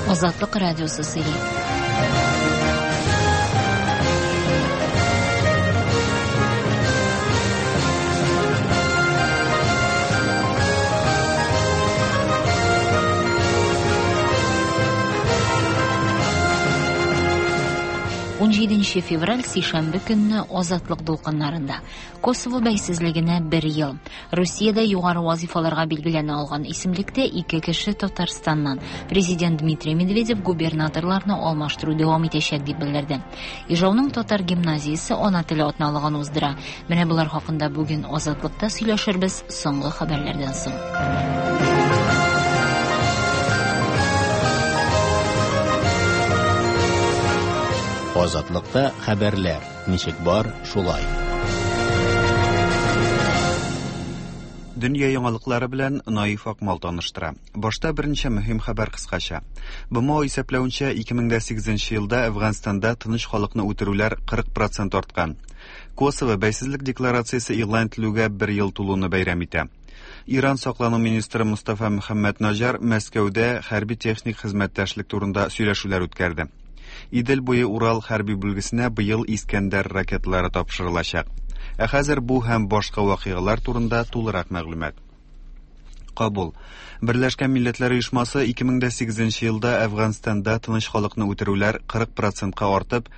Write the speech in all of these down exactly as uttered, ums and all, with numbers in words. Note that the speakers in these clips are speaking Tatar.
Азатлык радиосы сөйли. Унҗиденче февраль сишәмбе көнне Азатлык дулкыннарында. Косово бәйсезлегенә бер ел. Русиядә югары вазифаларга билгеләнә алган исемлектә ике кеше Татарстаннан. Президент Дмитрий Медведев губернаторларны алмаштыру дәвам итәчәк дип белдерде. Ижауның татар гимназиясе ана теле атналыгын уздыра. Менә болар хакында бүген Азатлыкта сөйләшербез соңгы хәбәрләрдән соң. Азатлыкта хәбәрләр ничек бар, шулай. Дөнья яңалыклары белән Наиф Акмал таныштыра. Башта берничә мөһим хәбәр кыскача. Б М О исәпләвенчә, ике мең дә сигезенче елда Әфганстанда тыныч халыкны үтерүләр кырык процент арткан. Косово бәйсезлек декларациясе игълан ителүгә бер ел тулуны бәйрәм итә. Иран саклану министры Мустафа Мөхәммәд Наҗар Мәскәүдә хәрби техник хезмәттәшлек турында сөйләшүләр үткәрде. Идел буе Урал хәрби бүлгесенә быел Искәндәр ракеталары тапшырылачак. Ә хәзер бу һәм башка вакыйгалар турында тулырак мәгълүмат. Кабул. Берләшкән Милләтләр Оешмасы ике мең дә сигезенче елда Әфганстанда тыныч халыкны үтерүләр кырык процентка артып,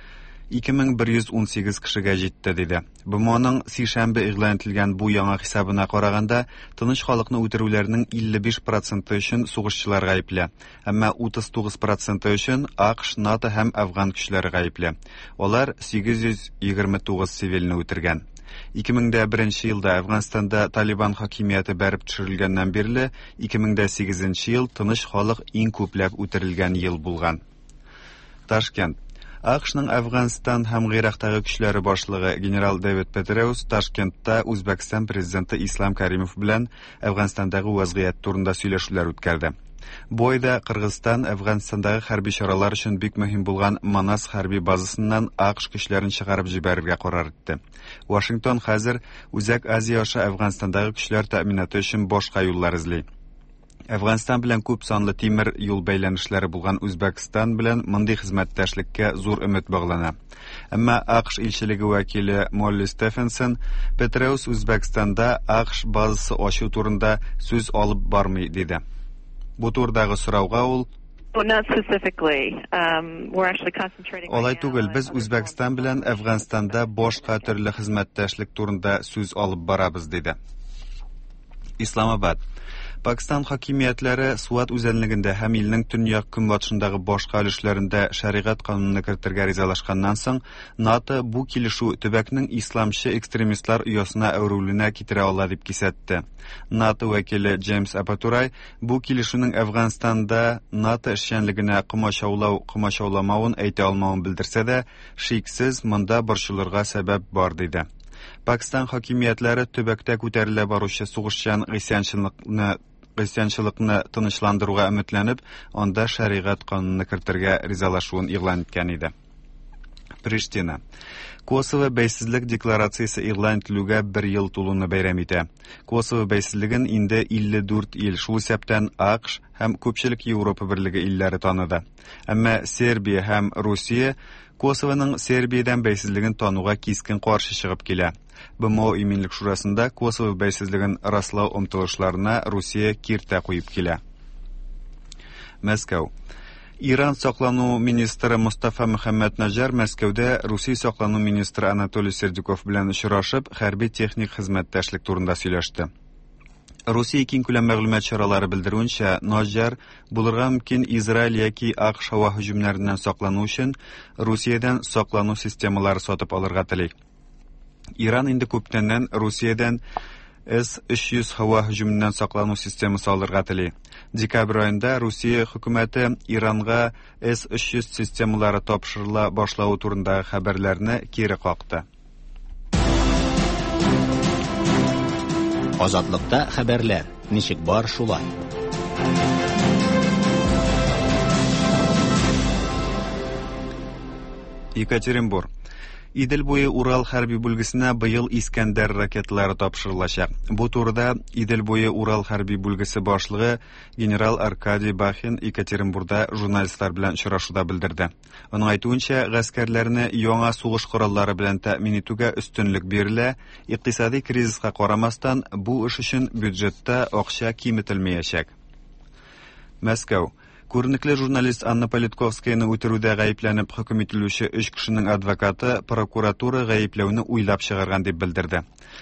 ике мең бер йөз унсигез кешегә җитте диде. Б М Оның сишәмбе игълан ителгән бу яңа хисабына караганда, тыныч халыкны үтерүләрнең илле биш проценты өчен сугышчылар гаепле, әмма утыз тугыз проценты өчен А К Ш, НАТО һәм афган көчләре гаепле. Алар сигез йөз егерме тугыз цивилне үтергән. ике мең дә беренче елда Әфганстанда Талибан хакимияте бәреп төшерелгәннән бирле ике мең дә сигезенче ел тыныч халык иң күпләп үтерелгән ел булган. Ташкент. А К Шның Әфганстан һәм Гыйрактагы көчләре башлыгы генерал Дэвид Петреус Ташкентта Үзбәкстан президенты Ислам Каримов белән Әфганстандагы вазгыять турында сөйләшүләр үткәрде. Бу айда Кыргызстан Әфганстандагы хәрби чаралар өчен бик мөһим булган Манас хәрби базасыннан А К Ш көчләрен чыгарып җибәрергә карар итте. Вашингтон хәзер Үзәк Азия аша Әфганстандагы көчләр тәэминаты өчен башка юллар эзли. Әфганстан белән күп санлы тимер юл бәйләнешләре булган Үзбәкстан белән мондый хезмәттәшлеккә зур өмет баглана. Әмма А К Ш илчелеге вәкиле Молли Стефенсон Петреус Үзбәкстанда А К Ш базасы ачу турында сүз алып бармый диде. Бу турыдагы сорауга ул Um, Алай түгел, без Үзбәкстан белән Әфганстанда башка төрле хезмәттәшлек турында сүз алып барабыз, диде. Исламабад. Пакистан хакимиятләре Суат үзәнлегендә һәм илнең төньяк көнбатышындагы башка өлешләрендә шәригать канунын кертергә ризалашканнан соң, НАТО бу килешү төбәкнең исламчы экстремистлар оясына әверелүенә китерә ала дип кисәтте. НАТО вәкиле Джеймс Апатурай бу килешүнең Әфганстанда НАТО эшчәнлегенә комачаулау комачауламавын әйтә алмавын белдерсә дә, шиксез монда борчылырга сәбәп бар диде. Пакистан хакимиятләре төбәктә күтәрелә баручы сугышчан гыйсьянчылыкны гыйсьянчылыкны тынычландыруга өметләнеп, анда шәригать канунын кертергә ризалашуын игълан иткән иде. Приштина. Косово бәйсезлек декларациясе игълан ителүгә бер ел тулуны бәйрәм итә. Косово бәйсезлеген инде илле дүрт ил, шул исәптән А К Ш һәм күпчелек Европа берлеге илләре таныды. Әмма Сербия һәм Русия Косовоның Сербиядән бәйсезлеген тануга кискен каршы чыгып килә. Б М О Иминлек шурасында Косово бәйсезлеген раслау омтылышларына Русия киртә куеп килә. Мәскәү. Иран саклану министры Мустафа Мөхәммәд Наҗар Мәскәүдә Русия саклану министры Анатолий Сердюков белән очрашып, хәрби техник хезмәттәшлек турында сөйләште. Русия киңкүләм мәгълүмат чаралары белдерүенчә, Наҗар булырга мөмкин Израиль яки А К Ш һава һөҗүмнәреннән саклану өчен Русиядән саклану системалары сатып алырга тели. Иран инде күптәннән Русиядән С өч йөз һава һөҗүменнән саклану системасы алырга тели. Декабрь аенда Русия хөкүмәте Иранга С өч йөз системалары тапшырыла башлавы турындагы хәбәрләрне кире какты. Азатлыкта хәбәрләр ничек бар, шулай. Екатеринбург. Идел буе Урал хәрби бүлгесенә быел Искәндәр ракеталары тапшырылачак. Бу турыда Идел буе Урал хәрби бүлгесе башлыгы генерал Аркадий Бахин Екатеринбургда журналистлар белән очрашуда белдерде. Аның әйтүенчә, гаскәрләрне яңа сугыш кораллары белән тәэмин итүгә өстенлек бирелә, икътисади кризиска карамастан, бу эш өчен бюджетта акча киметелмәячәк. Мәскәү. Күренекле журналист Анна Политковскаяны үтерүдә гаепләнеп хөкем ителүче өч кешенең адвокаты прокуратура гаепләүне уйлап чыгарган дип белдерде.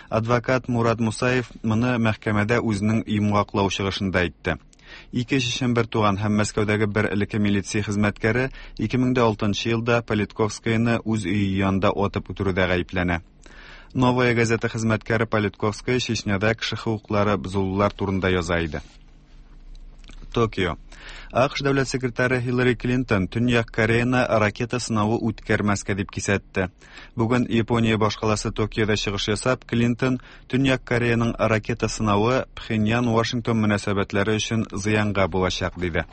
Адвокат Мурат Мусаев моны мәхкәмәдә үзенең йомгаклау чыгышында әйтте. Ике чечен бер туган һәм Мәскәүдәге бер элекке милиция хезмәткәре ике мең дә алтынчы елда Политковскаяны үз өе янында атып үтерүдә гаепләнә. Новая газета хезмәткәре Политковская Чечняда кеше хокуклары бозылулар турында яза иде. Токио. АКШ дәүләт секретаре Хиллари Клинтон Төньяк Кореяны ракета сынавы үткәрмәскә дип кисәтте. Бүген Япония башкаласы Токиода чыгыш ясап, Клинтон Төньяк Кореяның ракета сынавы Пхеньян-Вашингтон мөнәсәбәтләре өчен зыянга булачак диде.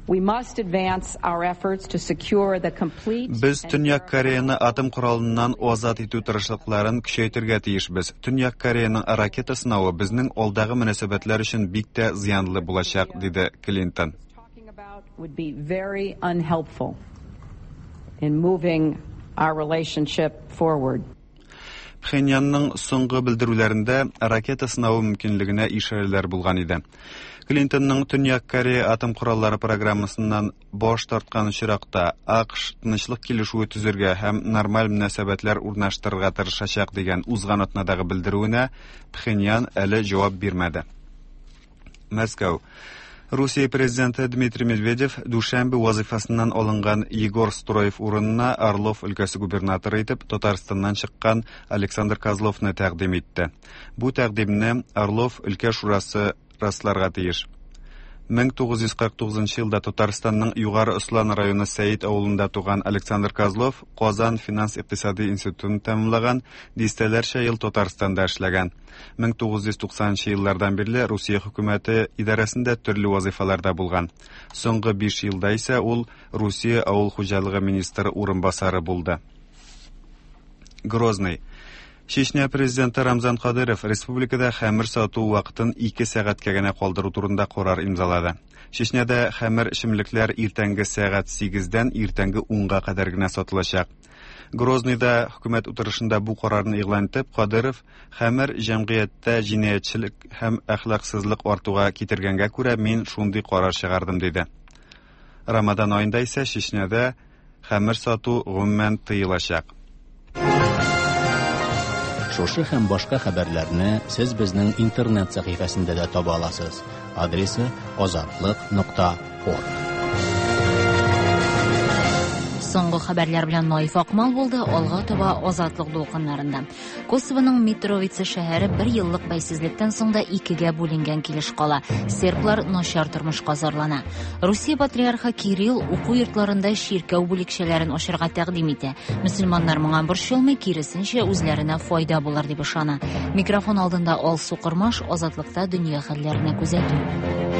We must advance our efforts to secure the complete Без Төньяк Кореяны атом коралыннан азат итү тырышлыкларын көчәйтергә тиешбез. Төньяк Кореяның ракета сынавы безнең алдагы мөнәсәбәтләр өчен бик тә зыянлы булачак, диде Клинтон. Would be very unhelpful in moving our relationship forward. Пхеньянның соңгы белдерүләрендә ракета сынавы мөмкинлегенә ишарәләр булган иде. Клинтонның Төньяк Корея атом кораллары программасыннан баш тарткан очракта АКШ тынычлык килешүе төзергә һәм нормаль мөнәсәбәтләр урнаштырырга тырышачак дигән узган атнадагы белдерүенә Пхеньян әле җавап бирмәде. Мәскәү. Русия президенты Дмитрий Медведев дүшәмбе вазифасыннан алынган Егор Строев урынына Орлов өлкәсе губернаторы итеп Татарстаннан чыккан Александр Козловны тәкъдим итте. Бу тәкъдимне Орлов өлкә шурасы расларга тиеш. мең тугыз йөз кырык тугызынчы елда Татарстанның Югары Ослан районы Сәет авылында туган Александр Козлов Казан финанс-икътисади институтын тәмамлаган, дистәләрчә ел Татарстанда эшләгән. мең тугыз йөз туксанынчы еллардан бирле Русия хөкүмәте идарәсендә төрле вазифаларда булган. Соңгы биш елда исә ул Русия авыл хуҗалыгы министры урынбасары булды. Грозный. Чечня президенты Рамзан Кадыров республикада хәмер сату вакытын ике сәгатькә генә калдыру турында карар имзалады. Чечняда хәмер эчемлекләр иртәнге сәгать сигездән иртәнге унга кадәр генә сатылачак. Грозныйда хөкүмәт утырышында бу карарны игълан итеп, Кадыров хәмер җәмгыятьтә җинаятьчелек һәм әхлаксызлык артуга китергәнгә күрә мин шундый карар чыгардым диде. Рамадан аенда исә Чечняда хәмер сату гомумән тыелачак. Шушы һәм башка хәбәрләрне сез безнең интернет сәхифәсендә дә таба аласыз. Адресы азатлык нокта орг. Соңгы хәбәрләр белән Наиф Акмал булды. Алга таба Азатлык дулкыннарында. Косовоның Митровица шәһәре бер еллык бәйсезлектән соң да икегә бүленгән килеш кала. Серблар начар тормышка зарлана. Русия патриархы Кирилл уку йортларында чиркәү бүлекчәләрен ачарга тәкъдим итә. Мөселманнар моңа борчылмый, киресенчә үзләренә файда булыр дип ышана. Микрофон алдында Алсу Кормаш, Азатлыкта дөнья хәлләренә күзәтү.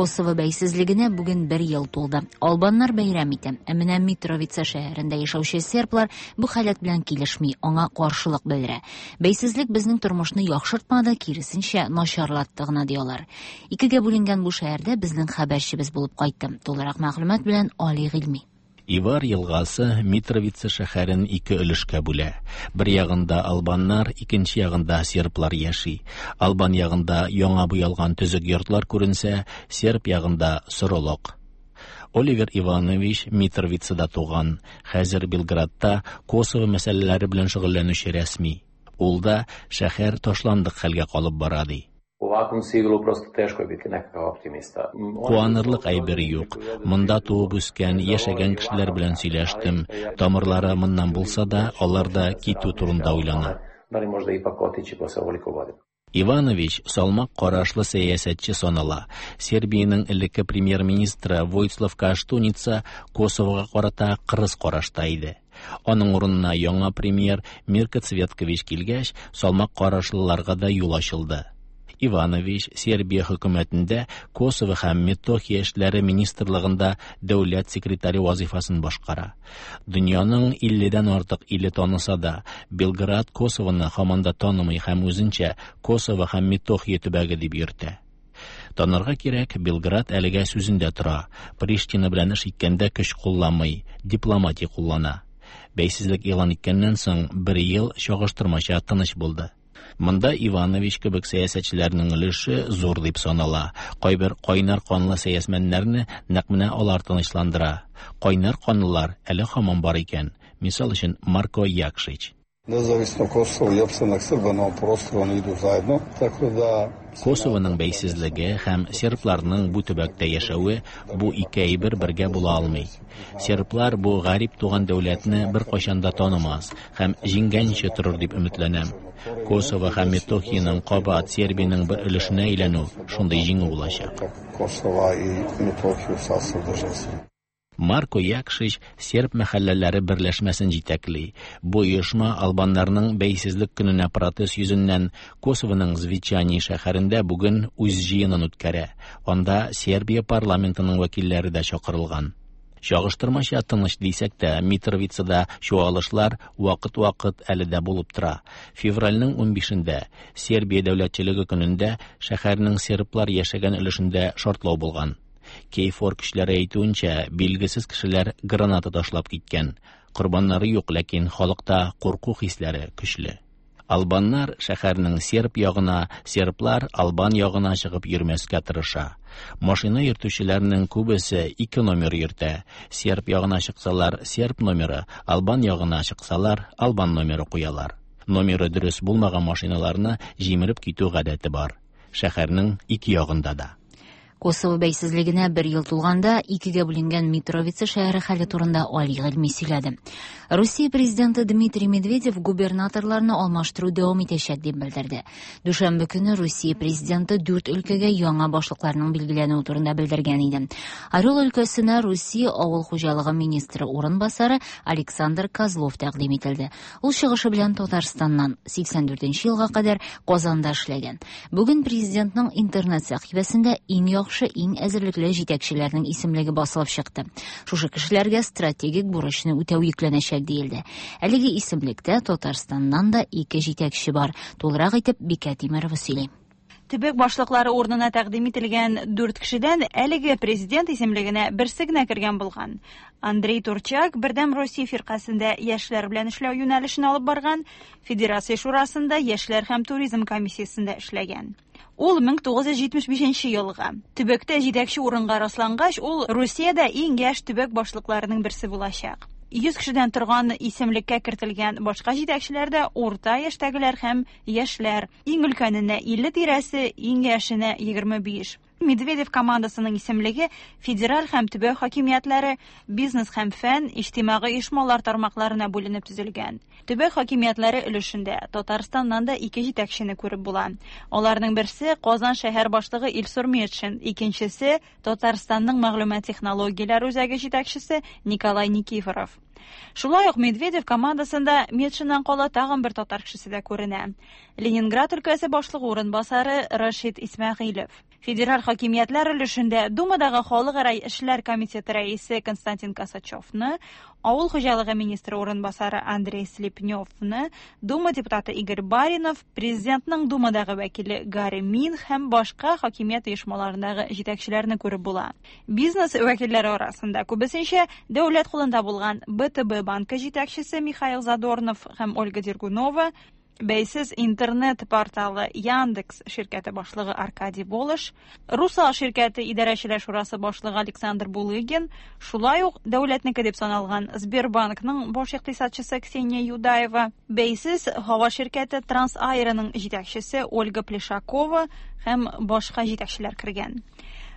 Косово бәйсезлегенә бүген бер ел тулды. Албаннар бәйрәм итә. Ә менә Митровица шәһәрендә яшәүче серблар бу халәт белән килешми, аңа каршылык белдерә. Бәйсезлек безнең тормышны яхшыртмады, киресенчә начарлатты гына ди алар. Икегә бүленгән бу шәһәрдә безнең хәбәрчебез булып кайтты. Тулырак мәгълүмат белән Али Гыйльми. Ивар елгасы Митровица шәһәрен ике өлешкә бүлә. Бер ягында албаннар, икенче ягында серблар яши. Албан ягында яңа буялган төзек йортлар күренсә, серб ягында соролык. Оливер Иванович Митровицада туган, хәзер Белградта Косово мәсьәләләре белән шөгыльләнүче рәсми. Ул да шәһәр ташландык хәлгә калып бара ди. U ovakvom siglu prosto teško je biti nekakav optimista. Куанырлык әйбер юк. Монда туып үскән, яшәгән кешеләр белән сөйләштем. Тамырлары моннан булса да, алар да китү турында уйлана. Da li možda ipak otići posle ovoliko godina. Иванович салмак карашлы сәясәтче санала. Сербиянең элекке премьер-министры Войслав Каштуница Косовога карата кырыс карашта иде. Аның урынына яңа премьер Мирко Цветкович килгәч, салмак карашлыларга да юл ачылды. Иванович Сербия хөкүмәтендә Косово һәм Метохия эшләре министрлыгында дәүләт секретаре вазифасын башкара. Дөньяның илледән артык иле таныса да, Белград Косовоны һаман да танымый һәм үзенчә Косово һәм Метохия төбәге дип йөртә. Танырга кирәк, Белград әлегә сүзендә тора. Приштина белән эш иткәндә көч кулланмый, дипломатия куллана. Бәйсезлек игълан иткәннән соң бер ел чагыштырмача тыныч булды. Монда Иванович кебек сәясәтчеләрнең өлеше зур дип санала. Кайбер кайнар канлы сәясмәннәрне нәкъ менә алар тынычландыра. Кайнар канлылар әле һаман бар икән. Мисал өчен Марко Якшич. Nezavisno Kosovo i opstanak Srba na ovom prostoru, oni idu zajedno, tako da Косованың бәйсезлеге һәм сербларның бу төбәктә яшәве бу ике әйбер бергә була алмый. Серблар бу гарип туган дәүләтне беркайчан да танымас һәм җиңгәнче торыр дип өметләнәм. Косово һәм Метохияның кабат Сербиянең бер өлешенә әйләнү шундый җиңү булачак. Kosova i Metohiju u sastav države Srbije. Марко Якшич серб мәхәлләләре берләшмәсен җитәкли. Бу оешма албаннарның бәйсезлек көненә протест йөзеннән Косованың Звечани шәһәрендә бүген үз җыенын үткәрә. Анда Сербия парламентының вәкилләре дә чакырылган. Чагыштырмача тыныч дисәк тә, Митровицада чуалышлар вакыт-вакыт әле дә булып тора. Февральнең унбишендә Сербия дәүләтчелеге көнендә шәһәрнең серблар яшәгән өлешендә шартлау булган. Кейфор көчләре әйтүенчә, билгесез кешеләр граната ташлап киткән. Корбаннары юк, ләкин халыкта курку хисләре көчле. Албаннар шәһәрнең серб ягына, серблар албан ягына чыгып йөрмәскә тырыша. Машина йөртүчеләрнең күбесе ике номер йөртә. Серб ягына чыксалар серб номеры, албан ягына чыксалар албан номеры куялар. Номеры дөрес булмаган машиналарны җимереп китү гадәте бар. Шәһәрнең ике ягында да. Косово бәйсезлегенә бер ел тулганда икегә бүленгән Митровица шәһәре хәле турында Али Гыйльми сөйләде. Русия президенты Дмитрий Медведев губернаторларны алмаштыру дәвам итәчәк дип белдерде. Дүшәмбе көне Русия президенты дүрт өлкәгә яңа башлыкларның билгеләнүе турында белдергән иде. Орел өлкәсенә Русия авыл хуҗалыгы министры урынбасары Александр Козлов тәкъдим ителде. Ул чыгышы белән Татарстаннан сиксән дүртенче елга кадәр Казанда эшләгән. Бүген президентның интернет сәхифәсендә иң яхшы иң әзерлекле җитәкчеләрнең исемлеге басылып чыкты. Шушы кешеләргә стратегик бурычны үтәү йөкләнәчәк диелде. Әлеге исемлектә Татарстаннан да ике җитәкче бар. Тулырак итеп Бикә Тимерова сөйли. Төбәк башлыклары урынына тәкъдим ителгән дүрт кешедән әлеге президент исемлегенә берсе генә кергән булган. Андрей Турчак Бердәм Россия фиркасендә яшьләр белән эшләү юнәлешен алып барган, Федерация шурасында яшьләр һәм туризм комиссиясендә эшләгән. Ул мең тугыз йөз җитмеш бишенче елга төбәктә җитәкче урынга раслангач, ул Русиядә иң яшь төбәк башлыкларының берсе булачак. Йөз кешедән торган исемлеккә кертелгән башка җитәкчеләр дә урта яшьтәгеләр һәм яшьләр. Иң өлкәненә илле тирәсе, иң яшенә егерме биш. Медведев командасының исемлеге федераль һәм төбәк хакимиятләре, бизнес һәм фән, иҗтимагый оешмалар тармакларына бүленеп төзелгән. Төбәк хакимиятләре өлешендә Татарстаннан да ике җитәкчене күреп була. Аларның берсе Казан шәһәр башлыгы Илсур Метшин, икенчесе Татарстанның мәгълүмат технологияләре үзәге җитәкчесе Николай Никифоров. Шулай ук Медведев командасында Метшиннан кала тагын бер татар кешесе дә күренә. Ленинград өлкәсе башлыгы урынбасары Рашид Исмәгыйлев. Федераль хакимиятләр өлешендә Думадагы халыкара эшләр комитеты рәисе Константин Косачевны, авыл хуҗалыгы министры урынбасары Андрей Слепневны, Дума депутаты Игорь Баринов, президентның Думадагы вәкиле Гарри Мин һәм башка хакимият оешмаларындагы җитәкчеләрне күреп була. Бизнес вәкилләре арасында күбесенчә дәүләт кулында булган Б Т Б банкы җитәкчесе Михаил Задорнов һәм Ольга Дергунова, бәйсез интернет порталы Яндекс ширкәте башлыгы Аркадий Волош, Русал ширкәте идарәчеләр шурасы башлыгы Александр Булыгин, шулай ук дәүләтнеке дип саналган Сбербанкның баш икътисадчысы Ксения Юдаева, бәйсез һава ширкәте Трансаэроның җитәкчесе Ольга Плешакова һәм башка җитәкчеләр кергән.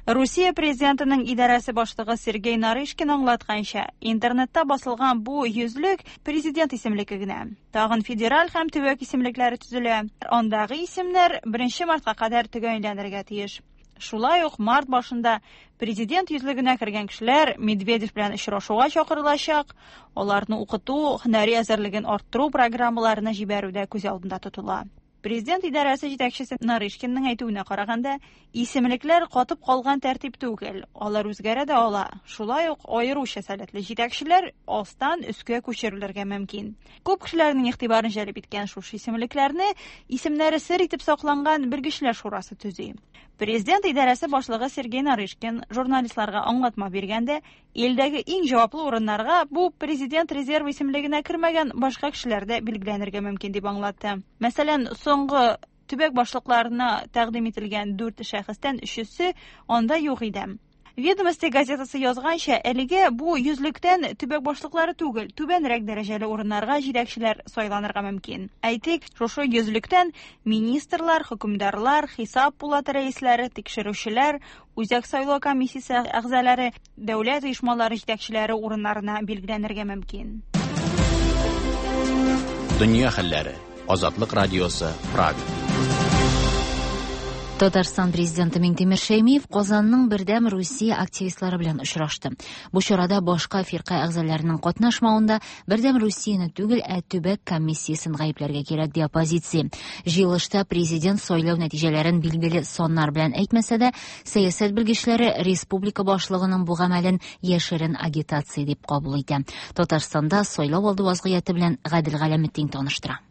Русия президентының идарәсе башлыгы Сергей Нарышкин аңлатканча, интернетта басылган бу йөзлек президент исемлеге генә. Тагын федераль һәм төбәк исемлекләре төзелә. Андагы исемнәр беренче мартка кадәр төгәлләнергә тиеш. Шулай ук март башында президент йөзлегенә кергән кешеләр Медведев белән очрашуга чакырылачак. Аларны укыту, һөнәри әзерлеген арттыру программаларына җибәрү дә күз алдында тотыла. Президент идарәсе җитәкчесе Нарышкинның әйтүенә караганда, исемлекләр катып калган тәртип түгел, алар үзгәрә дә ала. Шулай ук аеруча сәләтле җитәкчеләр астан өскә күчерелергә мөмкин. Күп кешеләрнең игътибарын җәлеп иткән шушы исемлекләрне исемнәре сер итеп сакланган белгечләр шурасы төзи. Президент идарәсе башлыгы Сергей Нарышкин журналистларга аңлатма биргәндә, илдәге иң җаваплы урыннарга бу президент резервы исемлегенә кермәгән башка кешеләр дә билгеләнергә мөмкин дип аңлатты. Мәсәлән, соңгы төбәк башлыкларына тәкъдим ителгән дүрт шәхестән өчесе анда юк иде. Ведомости газетасы язганча, әлегә бу йөзлектән төбәк башлыклары түгел, түбәнрәк дәрәҗәле урыннарга җитәкчеләр сайланырга мөмкин. Әйтик, шушы йөзлектән министрлар, хөкемдарлар, хисап палаты рәисләре, тикшерүчеләр, Үзәк сайлау комиссиясе әгъзалары, дәүләт оешмалары җитәкчеләре урыннарына билгеләнергә мөмкин. Дөнья хәлләре. Азатлык радиосы, Прага. Татарстан президенты Миңтимер Шәймиев Казанның Бердәм Русия активистлары белән очрашты. Бу чарада башка фирка әгъзаларының катнашмавында Бердәм Русияне түгел, ә төбәк комиссиясен гаепләргә кирәк ди оппозиция. Җыелышта президент сайлау нәтиҗәләрен билгеле саннар белән әйтмәсә дә, сәясәт белгечләре республика башлыгының бу гамәлен яшерен агитация дип кабул итә. Татарстанда сайлау алды вазгыяте белән Гадел Галәметдин таныштыра.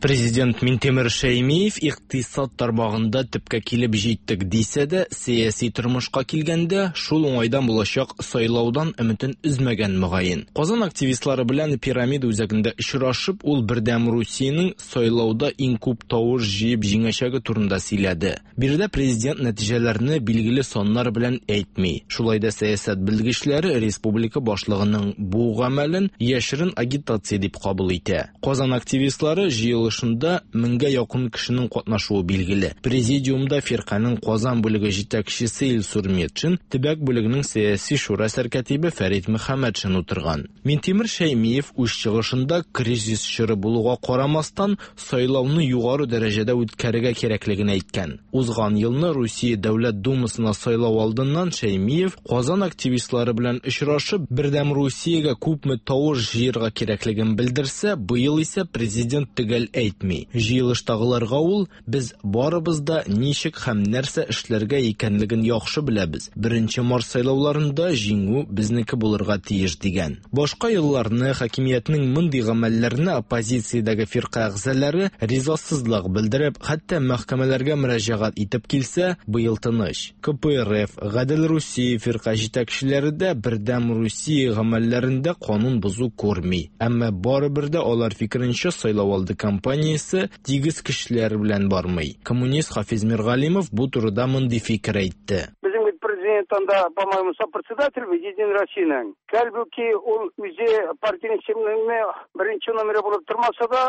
Президент Минтимер Шәймиев икътисад тармагында төпкә килеп җиттек дисә дә, сәяси тормышка килгәндә шул уңайдан булачак сайлаудан өметен өзмәгән мөгаен. Казан активистлары белән пирамида үзәгендә очрашып, ул Бердәм Русиянең сайлауда иң күп тавыш җыеп җиңәчәге турында сөйләде. Биредә президент нәтиҗәләрне билгеле саннар белән әйтми. Шулай да сәясәт белгечләре республика башлыгының бу гамәлен яшерен агитация дип кабул итә. Казан активистлары җыелыш Шунда меңгә якын кешенең катнашуы билгеле. Президиумда фирканең Казан бүлеге җитәкчесе Илсур Метшин, төбәк бүлегенең сәяси шура сәркатибе Фәрит Мөхәммәтшин утырган. Минтимер Шәймиев үз чыгышында кризис чоры булуга карамастан сайлауны югары дәрәҗәдә үткәрергә кирәклеген әйткән. Узган елны Русия Дәүләт Думасына сайлау алдыннан Шәймиев Казан активистлары белән очрашып, Бердәм Русиягә күпме тавыш җыярга кирәклеген белдерсә, быел исә президент төгәл әйтми. Җыелыштагыларга ул без барыбыз да ничек һәм нәрсә эшләргә икәнлеген яхшы беләбез. Беренче март сайлауларында җиңү безнеке булырга тиеш дигән. Башка елларны хакимиятнең мондый гамәлләренә оппозициядәге фирка әгъзалары ризасызлык белдереп, хәтта мәхкәмәләргә мөрәҗәгать итеп килсә, быел тыныч. К П Р Ф, Гадел Русия фирка җитәкчеләре дә Бердәм Русия гамәлләрендә канун бозу күрми. Әмма барыбер дә алар фикеренчә сайлау алды кампаниясе тигез кешеләр белән бармый. Коммунист Хафиз Миргалимов бу турыда мондый фикер әйтте. Безнең бит президент анда, по-моему, сопредседатель Единой Россиянең. Хәлбуки ул үзе партиянең исемлегендә беренче номеры булып тормаса да,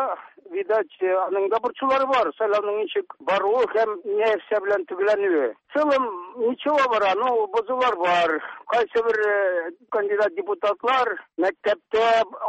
видать, аның да борчулары бар. Сайлауның ничек баруы һәм нәрсә белән төгәлләнүе. В целом ничего бара, ну, бозулар бар. Кайсы бер кандидат депутатлар мәктәптә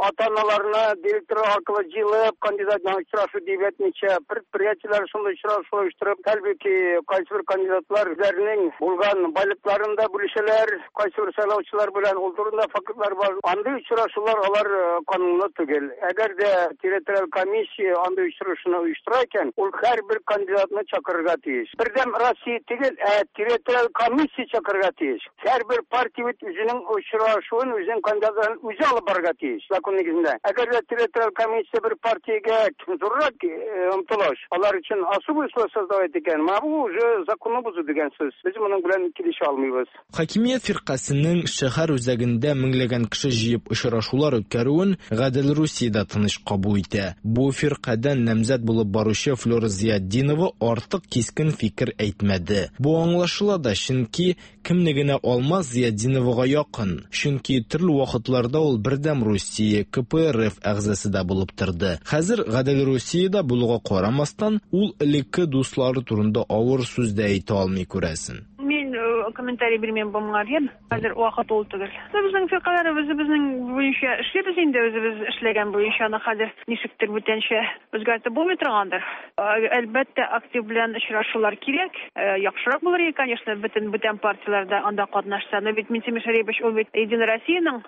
ата-аналарны директор аркылы җыелып кандидат белән очрашу дип әйтмичә, предприятиеләр шундый очрашу оештырып, хәлбуки кайсы бер кандидатлар үзләренең булган байлыкларын да бүлешәләр, кайсы бер сайлаучылар белән ул турында фактлар бар. Андый очрашулар алар канунлы түгел. Әгәр дә территориаль комиссия андый очрашуны оештыра икән, ул һәрбер кандидатны чакырырга тиеш. Бердәм Россия түгел, ә территориаль комиссия чакырырга тиеш. Һәрбер партия бит үзенең очрашуын, үзенең кандидатларын үзе алып барырга тиеш закон нигезендә. Әгәр дә территориаль комиссия бер партиягә зуррак омтылыш, алар өчен особый условия создавать икән, менә бу уже законны бозу дигән сүз. Без моның белән килешә алмыйбыз. Хакимият фиркасының шәһәр үзәгендә меңләгән кеше җыеп очрашулар үткәрүен Гадел Русиядә тыныч кабул итә. Бу фиркадән намзәт булып баручы Флора Зиятдинова артык кискен фикер әйтмәде. Бу аңлашыла да, чөнки кемне генә алма Зиятдиновага якын. Чөнки төрле вакытларда ул Бердәм Русия, К П Р Ф әгъзасы да булып торды. Хәзер Гадел Русиядә булуга карамастан, ул элекке дуслары турында авыр сүз дә әйтә алмый күрәсен. Мин комментарий бирмим бу моңа, хәзер вакыт ул түгел. Безнең фиркалар үзебезнең буенча эшлибез инде, үзебез эшләгән буенча аны хәзер ничектер бүтәнчә үзгәртеп булмый торгандыр. Әлбәттә, актив белән очрашулар кирәк. Яхшырак булыр иде, конечно, бөтен бүтән партияләрдә анда катнашса. Но бит Минтимер Шәрипович ул бит Единой Россиянең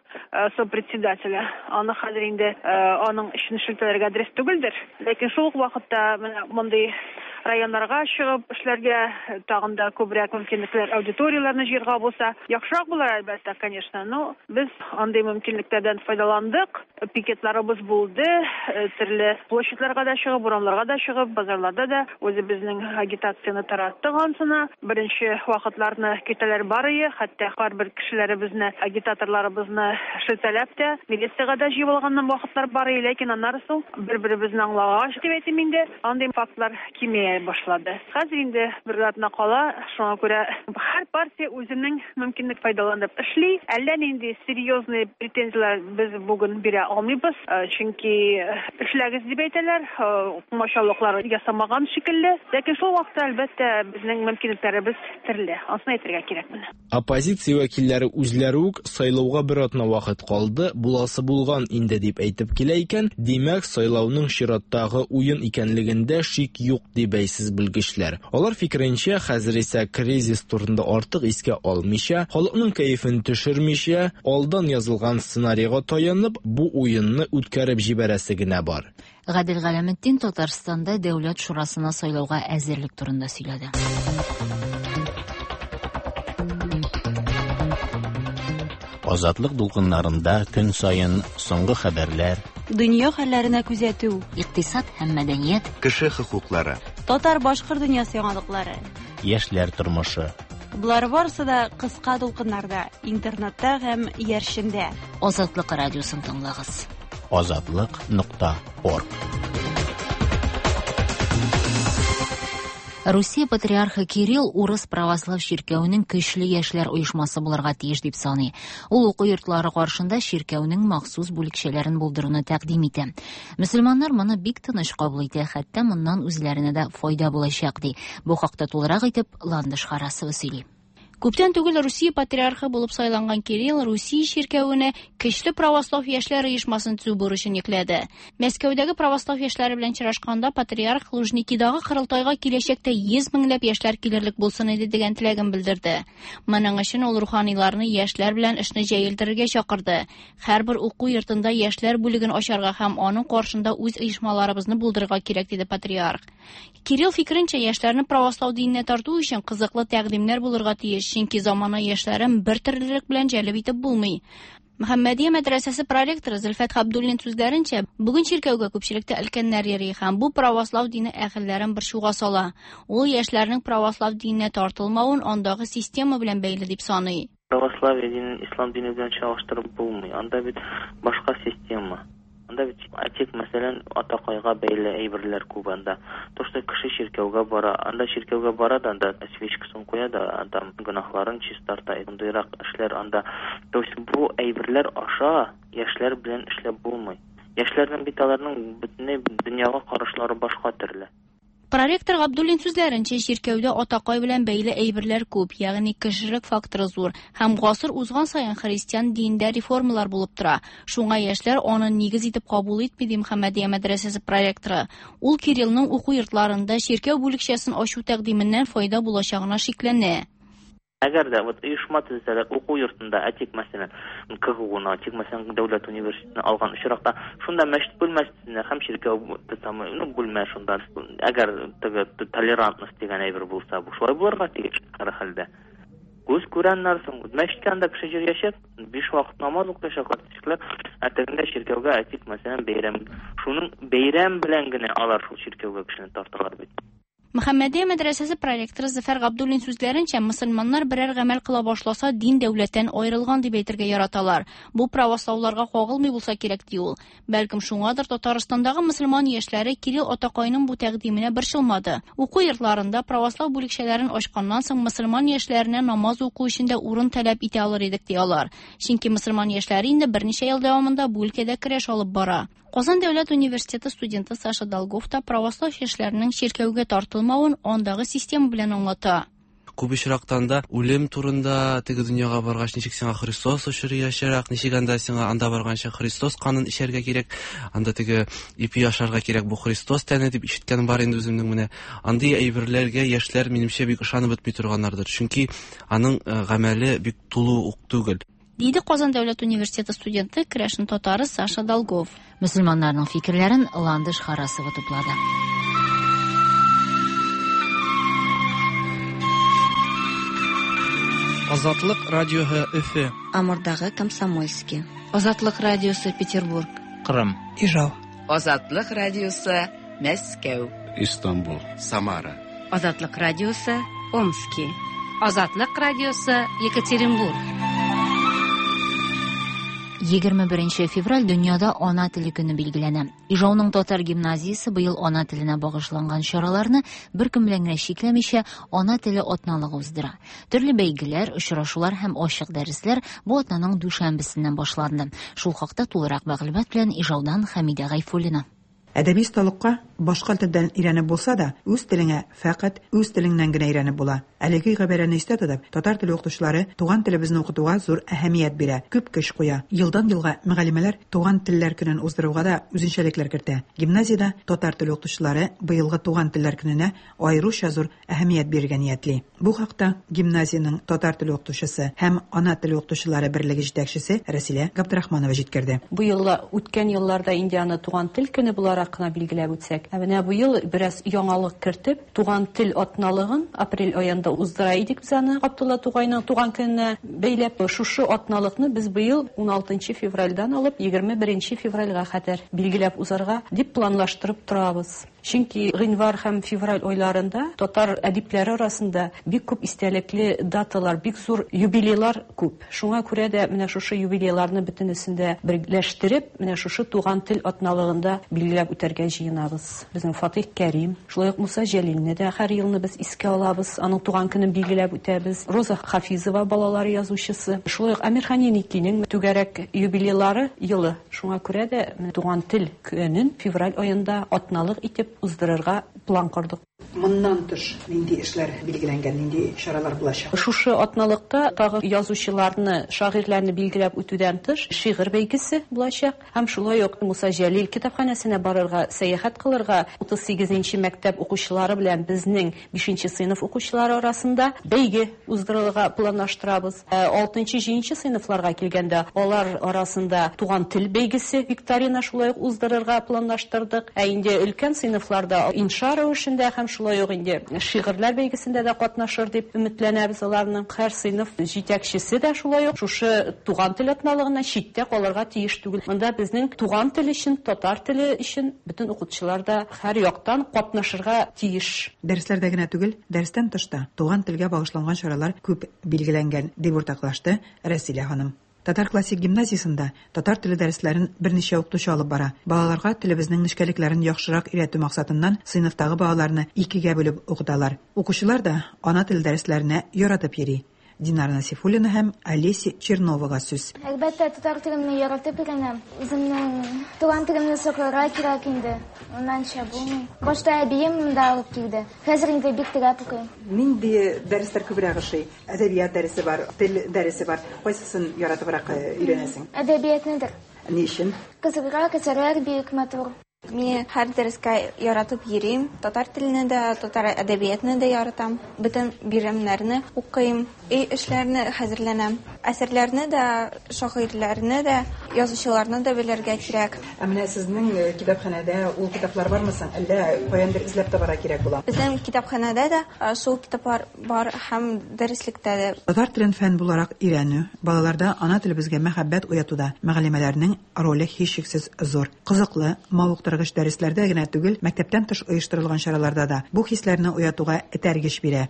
сопредседателе. Аны хәзер инде аның эшен шелтәләргә дөрес түгелдер. Ләкин шул ук вакытта менә мондый районнарга чыгып эшләргә, тагын да күбрәк мөмкинлекләр, аудиторияләрне җыярга булса, яхшырак булыр, әлбәттә, конечно. Но без андый мөмкинлекләрдән файдаландык. Пикетларыбыз булды, төрле площадьларга да чыгып, урамнарга да чыгып, базарларда да үзебезнең агитацияне тараттык ансына. Беренче вакытларны китәләр бар иде, хәтта һәрбер кешеләребезне, агитаторларыбызны шелтәләп тә, милициягә дә җыеп алган вакытлар бар иде, ләкин аннары соң бер-беребезне аңлагач дип әйтим инде, андый фактлар кимия башлады. Хәзер инде бер атна кала, шуңа күрә һәр партия үзенең мөмкинлек файдаланып эшли. Әллә нинди серьезный претензияләр без бүген бирә алмыйбыз, чөнки эшләгез дип әйтәләр, комачаулыклар ясамаган шикелле. Ләкин шул вакытта, әлбәттә, безнең мөмкинлекләребез төрле. Анысын әйтергә кирәк менә. Оппозиция вәкилләре үзләре үк сайлауга бер атна вакыт калды, буласы булган инде дип әйтеп килә икән, димәк, сайлауның чираттагы уен икәнлегендә шик юк ди бәйсез белгечләр. Алар фикеренчә, хәзер исә кризис турында артык искә алмыйча, халыкның кәефен төшермичә, алдан язылган сценарийга таянып, бу уенны үткәреп җибәрәсе генә бар. Гадел Галәметдин Татарстанда Дәүләт шурасына сайлауга әзерлек турында сөйләде. Азатлык дулкыннарында көн саен соңгы хәбәрләр, дөнья хәлләренә күзәтү, икътисад һәм мәдәният, кеше хокуклары, татар-башкорт дөньясы яңалыклары, яшьләр тормышы. Болар барысы да кыска дулкыннарда, интернетта һәм иярчендә. Азатлык радиосын тыңлагыз. Азатлык нокта орг. Русия патриархы Кирилл урыс православ чиркәвенең көчле яшьләр оешмасы булырга тиеш дип саный. Ул уку йортлары каршында чиркәүнең махсус бүлекчәләрен булдыруны тәкъдим итә. Мөселманнар моны бик тыныч кабул итә, хәтта моннан үзләренә дә файда булачак ди. Бу хакта тулырак итеп Ландыш Харасова сөйли. Күптән түгел Русия патриархы булып сайланган Кирилл Русия чиркәвенә көчле православ яшьләр оешмасын төзү бурычын йөкләде. Мәскәүдәге православ яшьләре белән очрашканда патриарх Лужникидагы корылтайга киләчәктә йөз меңләп яшьләр килерлек булсын иде дигән теләген белдерде. Моның өчен ул руханиларны яшьләр белән эшне җәелдерергә чакырды. Һәрбер уку йортында яшьләр бүлеген ачарга һәм аның каршында үз оешмаларыбызны булдырырга кирәк диде патриарх. Кирилл фикеренчә, яшьләрне православ диненә тарту өчен кызыклы тәкъдимнәр булырга тиеш, чөнки замана яшьләрен бер төрлелек белән җәлеп итеп булмый. Мөхәммәдия мәдрәсәсе проректоры Зөлфәт Хабдуллин сүзләренчә, бүген чиркәүгә күпчелектә өлкәннәр йөри һәм бу православ дине әһелләрен борчуга сала. Ул яшьләрнең православ диненә тартылмавын андагы система белән бәйле дип саный. Православие динен ислам дине белән чагыштырып булмый. Анда бит башка система. Анда бит әйтик, мәсәлән, атакайга бәйле әйберләр күп анда. То, что кеше чиркәүгә бара, анда чиркәүгә бара да, анда свечкасын куя да, анда гөнаһларын чистарта, шундыйрак эшләр анда. То есть бу әйберләр аша яшьләр белән эшләп булмый. Яшьләрнең бит аларның бөтенләй дөньяга карашлары башка төрле. Проректор Габдуллин сүзләренчә, чиркәүдә атакай белән бәйле әйберләр күп, ягъни кешелек факторы зур һәм гасыр узган саен христиан динендә реформалар булып тора. Шуңа яшьләр аны нигез итеп кабул итми ди Мөхәммәдия мәдрәсәсе проректоры. Ул Кириллның уку йортларында чиркәү бүлекчәсен ачу тәкъдименнән файда булачагына шикләнә. Әгәр дә вот оешма төзсәләр уку йортында, әйтик, мәсәлән, КГУны, әйтик, мәсәлән, дәүләт университетын алган очракта, шунда мәчет бүлмәсенә һәм чиркәү тотамы, ну, бүлмә шунда. Әгәр теге толерантность дигән әйбер булса, бу шулай булырга тиеш һәр хәлдә. Күз күрәннәр соң, мәчеткә анда кеше йөриячәк, биш вакыт намаз укыячаклар, кешеләр, ә тегендә чиркәүгә, әйтик, мәсәлән, бәйрәм. Шуның бәйрәм белән генә алар шул чиркәүгә кешене тарталар бит. Мөхәммәдия мәдрәсәсе проректоры Зөфәр Габдуллин сүзләренчә, мөселманнар берәр гамәл кыла башласа, дин дәүләттән аерылган дип әйтергә яраталар. Бу правослауларга кагылмый булса кирәк ди ул. Бәлкем шуңадыр Татарстандагы мөселман яшьләре Кирилл атакайның бу тәкъдименә борчылмады. Уку йортларында православ бүлекчәләрен ачканнан соң мөселман яшьләренә намаз уку өчен дә урын таләп итә алыр идек ди алар. Чөнки мөселман яшьләре инде берничә ел дәвамында бу өлкәдә көрәш алып бара. Казан дәүләт университеты студенты Саша Долгов та православ яшьләренең чиркәүгә тартылмавын андагы система белән аңлата. Күп очрактан да үлем турында теге дөньяга баргач ничек сиңа Христос очраячак, ничек анда сиңа анда барганча Христос канын эчәргә кирәк, анда теге ипи ашарга кирәк, бу Христос тәне дип ишеткән бар инде үземнең менә. Андый әйберләргә яшьләр минемчә бик ышанып бетми торганнардыр, чөнки аның гамәле бик тулы ук түгел. Диде Казан дәүләт университеты студенты керәшен татары Саша Долгов. Мөселманнарның фикерләрен Ландыш Харасова туплады. Азатлык радиоһы Өфө. Амурдагы Комсомольский. Азатлык радиосы Петербург. Кырым. Ижау. Азатлык радиосы Мәскәү. Истанбул. Самара. Азатлык радиосы Омски. Азатлык радиосы Екатеринбург. Егерме беренче февраль дөньяда ана теле көне билгеләнә. Ижауның татар гимназиясе быел ана теленә багышланган чараларны бер көн белән генә чикләмичә ана теле атналыгы уздыра. Төрле бәйгеләр, очрашулар һәм ачык дәресләр бу атнаның дүшәмбесеннән башланды. Шул хакта тулырак мәгълүмат белән Ижаудан Хәмидә Гайфуллина. Әдәби осталыкка башка телдән өйрәнеп булса да, үз телеңә фәкать үз телеңнән генә өйрәнеп була. Әлеге гыйбарәне истә тотып, татар теле укытучылары туган телебезне укытуга зур әһәмият бирә, күп көч куя. Елдан елга мөгаллимәләр туган телләр көнен уздыруга да үзенчәлекләр кертә. Гимназиядә татар теле укытучылары быелгы туган телләр көненә аеруча зур әһәмият бирергә ниятли. Бу хакта гимназиянең татар теле укытучысы һәм ана теле укытучылары берлеге җитәкчесе Рәсилә Габдрахманова җиткерде. Бу елла үткән елларда инде аны туган тел көне буларак кына билгеләп үтсәк, ә менә бу ел бераз яңалык кертеп, туган тел атналыгын апрель аенда уздыра идек без аны Габдулла Тукайның туган көненә бәйләп. Шушы атналыкны без быел ун алтынчы февральдән алып егерме беренче февральгә кадәр билгеләп узарга дип планлаштырып торабыз. Чөнки гыйнвар һәм февраль айларында татар әдипләре арасында бик күп истәлекле даталар, бик зур юбилейлар күп. Шуңа күрә дә менә шушы юбилейларны бөтенесен дә берләштереп, менә шушы туган тел атналыгында билгеләп үтәргә җыенабыз. Безнең Фатих Кәрим, шулай ук Муса Җәлилне дә һәр елны без искә алабыз, аның туган көнен билгеләп үтәбез. Роза Хафизова балалар язучысы, шулай ук Әмирхан Еникинең түгәрәк юбилейлары елы. Шуңа күрә дә туган тел көнен февраль аенда атналык итеп уздырырга план кордык. Моннан тыш нинди эшләр билгеләнгән, нинди чаралар булачак? Шушы атналыкта тагы язучыларны, шагыйрьләрне билгеләп үтүдән тыш шигырь бәйгесе булачак һәм шулай ук Муса Җәлил китапханәсенә барырга, сәяхәт кылырга утыз сигезенче мәктәп укучылары белән безнең бишенче сыйныф укучылары арасында бәйге уздырырга планлаштырабыз. Алтынчы, җиденче сыйныфларга килгәндә, алар арасында туган тел бәйгесе викторина шулай ук уздырырга планлаштырдык. Ә инде өлкән сыйныфларда инша рәвешендә һәм шулай ук инде шигырьләр бәйгесендә дә катнашыр дип өметләнәбез аларның. Һәр сыйныф җитәкчесе дә шулай ук шушы туган тел атналыгына читтә калырга тиеш түгел. Монда безнең туган тел өчен, татар теле өчен бөтен укытучылар да һәр яктан катнашырга тиеш. Дәресләрдә генә түгел, дәрестән тыш та туган телгә багышланган чаралар күп билгеләнгән, дип уртаклашты Рәсилә ханым. Татар классик гимназиясендә татар теле дәресләрен берничә укытучы алып бара. Балаларга телебезнең нечкәлекләрен яхшырак өйрәтү максатыннан сыйныфтагы балаларны икегә бүлеп укыталар. Укучылар да ана теле дәресләренә яратып йөри. Динара Насифуллина һәм Олеся Черновага сүз. Әлбәттә, татар телемне яратып өйрәнәм. Үземнең туган телемне сакларга кирәк инде. Уннанча булмый. Башта әбием монда алып килде. Хәзер инде бик теләп укыйм. Нинди дәресләр күбрәк ошый? Әдәбият дәресе бар, тел дәресе бар. Кайсысын яратыбрак өйрәнәсең? Әдәбиятныдыр. Ни өчен? Кызыграк, әсәрләр бик матур. Мин һәр дәрескә яратып йөрим. Татар телене дә, татар әдәбиятны да яратам. Бөтен биремнәрне укыйм, өй эшләрне хәзерләнәм. Әсәрләрне дә, шагыйрьләрне дә, язучыларны да белергә кирәк. Ә менә сезнең китапханәдә ул китаплар бармы соң? Әллә каяндыр эзләп табарга кирәк була? Безнең китапханәдә дә шул китаплар бар һәм дәреслектә дә. Татар телен фән буларак өйрәнү, балаларда ана телебезгә мәхәббәт уятуда мөгаллимәләрнең роле һичшиксез зур. Кызыклы, мавыктыргыч дәресләрдә генә түгел, мәктәптән тыш оештырылган чараларда да бу хисләрне уятуга этәргеч бирә.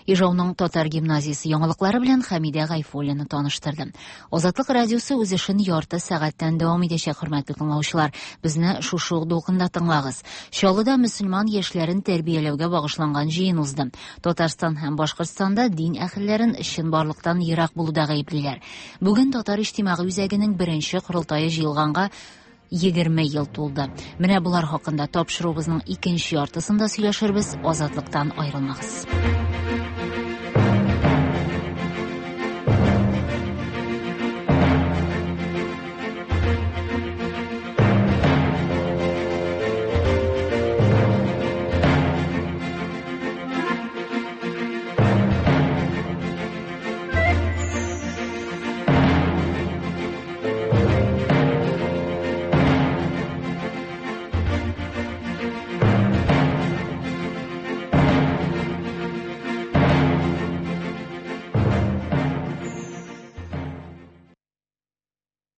Ижауның татар гимназиясе яңалыклары белән Хәмидә Гайфуллина таныштырды. Азатлык радиосы үз эшен ярты сәгатьтән дәвам итәчәк, хөрмәтле тыңлаучылар. Безне шушы ук дулкында тыңлагыз. Чаллыда мөселман яшьләрен тәрбияләүгә багышланган җыен узды. Татарстан һәм Башкортстанда дин әһелләрен чынбарлыктан ерак булуда гаеплиләр. Бүген Татар иҗтимагый үзәгенең беренче корылтае җыелганга егерме ел тулды. Менә булар хакында тапшыруыбызның икенче яртысында сөйләшербез. Азатлыктан аерылмагыз.